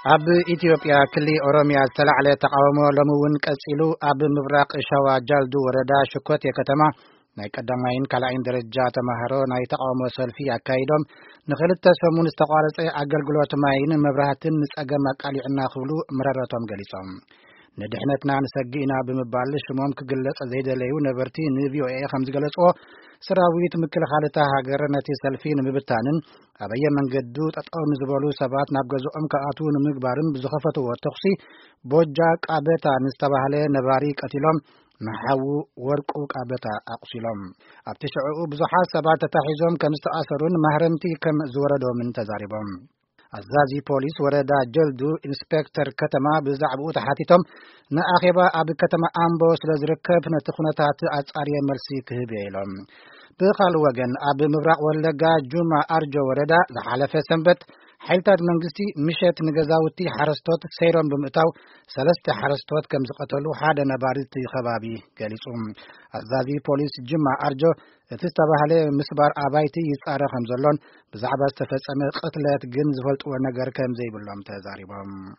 ኣብ ኢትዮጵያ ክሊ ኦሮሚያ ዝተላዕለ ተቃውሞ ሎሚ እውን ቀጺሉ። ኣብ ምብራቕ ሸዋ ጃልዱ ወረዳ ሽኮቴ ከተማ ናይ ቀዳማይን ካልኣይን ደረጃ ተማሃሮ ናይ ተቃውሞ ሰልፊ ኣካይዶም፣ ንኽልተ ሰሙን ዝተቋረጸ ኣገልግሎት ማይን መብራህትን ንጸገም ኣቃሊዕና ክብሉ መረረቶም ገሊጾም። ንድሕነትና ንሰጊ ኢና ብምባል ሽሞም ክግለጽ ዘይደለዩ ነበርቲ ንቪኦኤ ከም ዝገለጽዎ፣ ሰራዊት ምክልኻል እታ ሃገር ነቲ ሰልፊ ንምብታንን ኣበየ መንገዱ ጠጠው ንዝበሉ ሰባት ናብ ገዝኦም ክኣትዉ ንምግባርን ብዝኸፈትዎ ተኹሲ ቦጃ ቃበታ ንዝተባህለ ነባሪ ቀቲሎም፣ ንሓዉ ወርቁ ቃበታ ኣቑሲሎም። ኣብቲ ሽዕኡ ብዙሓት ሰባት ተታሒዞም ከም ዝተኣሰሩን ማህረምቲ ከም ዝወረዶምን ተዛሪቦም። ኣዛዚ ፖሊስ ወረዳ ጀልዱ ኢንስፔክተር ከተማ ብዛዕባኡ ተሓቲቶም፣ ንኣኼባ ኣብ ከተማ ኣምቦ ስለ ዝርከብ ነቲ ኩነታት ኣጻርየ መልሲ ክህብ እየ ኢሎም። ብኻልእ ወገን ኣብ ምብራቕ ወለጋ ጁማ ኣርጆ ወረዳ ዝሓለፈ ሰንበት ሓይልታት መንግስቲ ምሸት ንገዛውቲ ሓረስቶት ሰይሮም ብምእታው ሰለስተ ሓረስቶት ከም ዝቐተሉ ሓደ ነባሪ እቲ ከባቢ ገሊጹ። ኣዛዚ ፖሊስ ጅማ ኣርጆ እቲ ዝተባህለ ምስባር ኣባይቲ ይጻረ ከም ዘሎን ብዛዕባ ዝተፈጸመ ቅትለት ግን ዝፈልጥዎ ነገር ከም ዘይብሎም ተዛሪቦም።